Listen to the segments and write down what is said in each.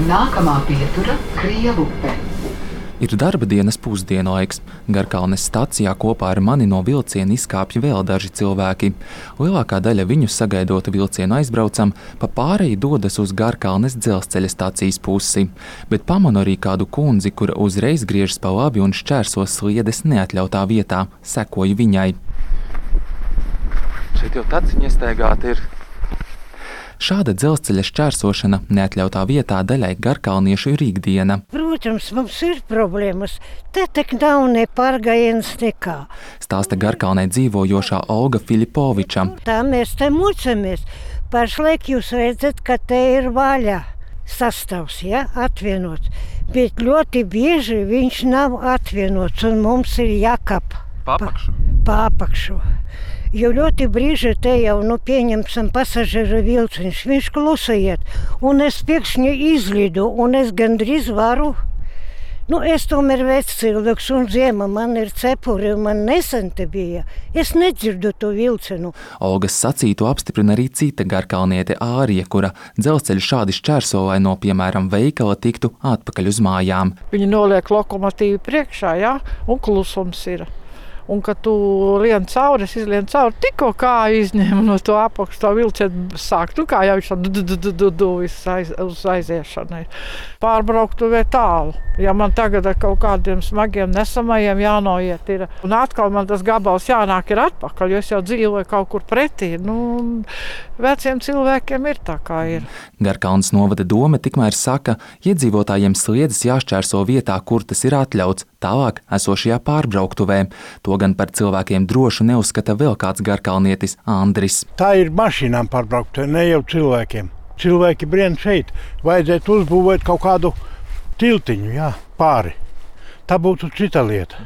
Nākamā pietura – Krievupe. Ir darba dienas pusdienlaiks. Garkalnes stacijā kopā ar mani no vilciena izkāpja vēl daži cilvēki. Lielākā daļa viņu sagaidot vilcienu aizbraucam, pa pārēju dodas uz Garkalnes dzelzceļa stacijas pusi. Bet pamanu arī kādu kundzi, kura uzreiz griežas pa labi un šķērso sliedes neatļautā vietā. Sekoju viņai. Šeit jau taciņa iestaigāta ir. Šāda dzelzceļa šķērsošana neatļautā vietā daļai garkalniešu ir ikdiena. Protams, mums ir problēmas. Te tek nav ne pārgājienas nekā. Stāsta Garkalnē dzīvojošā Olga Filipoviča. Tā mēs te mucamies. Pašlaik jūs redzat, ka te ir vaļā sastāvs, ja, atvienots. Bet ļoti bieži viņš nav atvienots un mums ir jākap pa apakšu. Jo ļoti brīži te jau, pieņemsim pasažieru vilciņš, viņš klusa iet, un es pēkšņi izlidu, un es gandrīz varu. Es tomēr vecs cilvēks, un ziema man ir cepuri, un man nesen te bija. Es nedzirdu to vilcenu. Olgas sacītu apstiprina arī cita garkalniete Ārija, kura dzelzceļu šādi šķērso, lai no, piemēram, veikala tiktu atpakaļ uz mājām. Viņi noliek lokomotīvu priekšā, jā, un klusums ir. Un, kad tu lien cauri, es izlien cauri, tikko kā izņēmu no to apakšu, to vilcienu sāk, kā jau viņš uz aiziešanai. Pārbrauktuvē tālu. Ja man tagad ar kaut kādiem smagiem nesamajiem jānoiet ir, un atkal man tas gabals jānāk ir atpakaļ, jo es jau dzīvoju kaut kur pretī. Veciem cilvēkiem ir tā kā ir. Garkalnes novada dome tikmēr saka, iedzīvotājiem sliedes jāšķērso vietā, kur tas ir atļauts, tālāk esošajā pārbrauktuvē. To gan par cilvēkiem drošu neuzskata vēl kāds garkalnietis Andris. Tā ir mašīnām pārbrauktuvē, ne jau cilvēkiem. Cilvēki brien šeit. Vajadzētu uzbūvēt kaut kādu tiltiņu, pāri. Tā būtu cita lieta.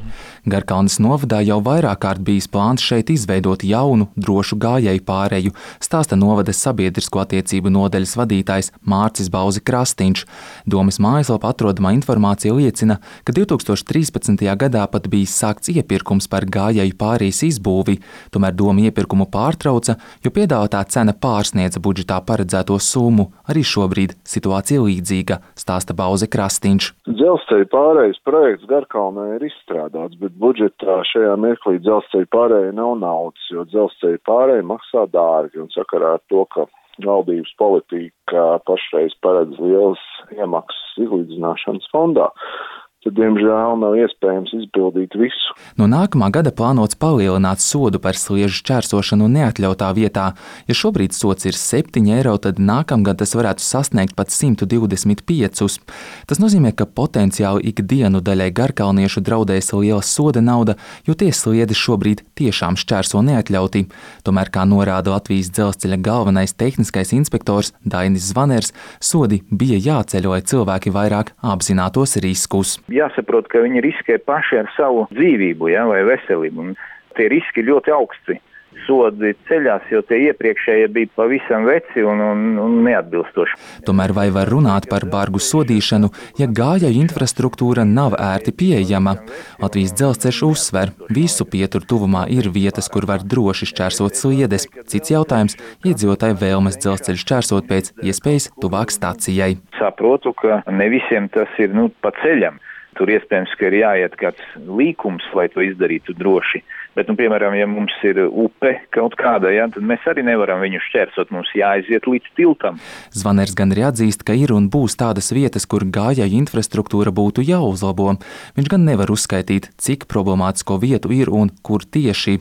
Garkalnes novadā jau vairāk kārt bijis plāns šeit izveidot jaunu, drošu gājēju pāreju, stāsta novades sabiedrisko attiecību nodaļas vadītājs Mārcis Bauzi Krastīņš. Domes mājaslapā atrodamā informācija liecina, ka 2013. gadā pat bijis sākts iepirkums par gājēju pārejas izbūvi, tomēr doma iepirkumu pārtrauca, jo piedāvātā cena pārsniedza budžetā paredzēto summu. Arī šobrīd situācija līdzīga, stāsta Bauzi Krastīņš. Dzelzceļa pārejas projekts Garkalnē ir izstrādāts, bet budžetā šajā mirklī dzelzceļa pārējai nav naudas, jo dzelzceļa pārējai maksā dārgi, un sakarā ar to, ka valdības politika pašreiz paredz lielas iemaksas izlīdzināšanas fondā, tad, diemžēl, nav iespējams izpildīt visu. No nākamā gada plānots palielināt sodu par sliežu šķērsošanu neatļautā vietā. Ja šobrīd sods ir 7 eiro, tad nākamgad tas varētu sasniegt pat 125. Tas nozīmē, ka potenciāli ikdienu daļai garkalniešu draudēs liela soda nauda, jo tie sliedes šobrīd tiešām šķērso neatļauti. Tomēr, kā norāda Latvijas dzelzceļa galvenais tehniskais inspektors Dainis Zvaners, sodi bija jāceļ, lai cilvēki vairāk apzinātos riskus. Jāsaprot, ka viņi riskē paši ar savu dzīvību, vai veselību. Un tie riski ļoti augsti. Sodi ceļās, jo tie iepriekšējie bija pavisam veci un neatbilstoši. Tomēr vai var runāt par bargu sodīšanu, ja gājēju infrastruktūra nav ērti pieejama? Latvijas dzelzceļš uzsver, visu pieturu tuvumā ir vietas, kur var droši šķērsot sliedes. Cits jautājums – iedzīvotāju vēlmes dzelzceļu šķērsot pēc iespējas tuvāk stacijai. Saprotu, ka ne visiem tas ir pa ceļam. Tur iespējams, ka ir jāiet kāds līkums, lai to izdarītu droši. Bet, piemēram, ja mums ir upe kaut kāda, tad mēs arī nevaram viņu šķērsot, mums jāaiziet līdz tiltam. Zvaners gan arī atzīst, ka ir un būs tādas vietas, kur gājēju infrastruktūra būtu jāuzlabo. Viņš gan nevar uzskaitīt, cik problemātisko vietu ir un kur tieši.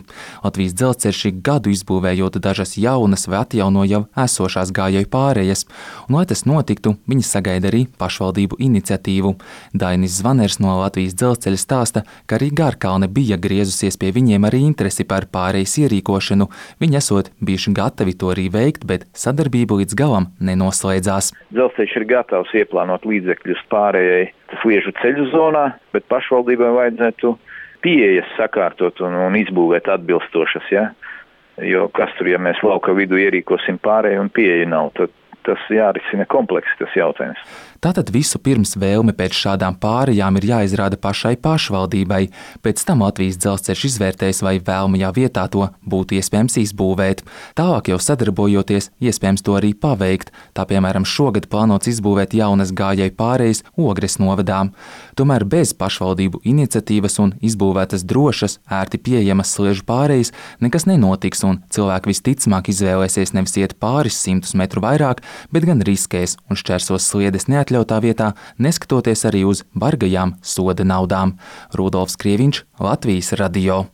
Latvijas dzelzceļš ir gadu izbūvējot dažas jaunas vai atjauno jau esošās gājēju pārējas. Un, lai tas notiktu, viņi sagaida arī pašvaldību iniciatīvu. Dainis Zvaners no Latvijas dzelzceļa stāsta, ka arī Garkalne bija griezusies pie viņiem arī interesi par pārejas ierīkošanu. Viņi esot bijuši gatavi to arī veikt, bet sadarbība līdz galam nenoslēdzās. Dzelzceļš ir gatavs ieplānot līdzekļus pārējai sliežu ceļu zonā, bet pašvaldībai vajadzētu pieejas sakārtot un izbūvēt atbilstošas, Jo kas tur, ja mēs lauka vidu ierīkosim pārēju un pieeja nav, tad tas jārisina kompleksi tas jautājums. Tātad visu pirms vēlme pēc šādām pārējām ir jāizrāda pašai pašvaldībai, pēc tam Latvijas dzelzceļš izvērtēs, vai vēlamajā vietā to būtu iespējams izbūvēt. Tālāk jau sadarbojoties, iespējams to arī paveikt, tā piemēram šogad plānots izbūvēt jaunas gājēju pārējas Ogres novadā. Tomēr bez pašvaldību iniciatīvas un izbūvētas drošas, ērti pieejamas sliežu pārējas nekas nenotiks un cilvēki visticamāk izvēlēsies nevis iet pāris 100 metru vairāk, bet gan riskēs un šķērsos sliedes neatļautā vietā, neskatoties arī uz bargajām soda naudām. Rudolfs Krieviņš, Latvijas radio.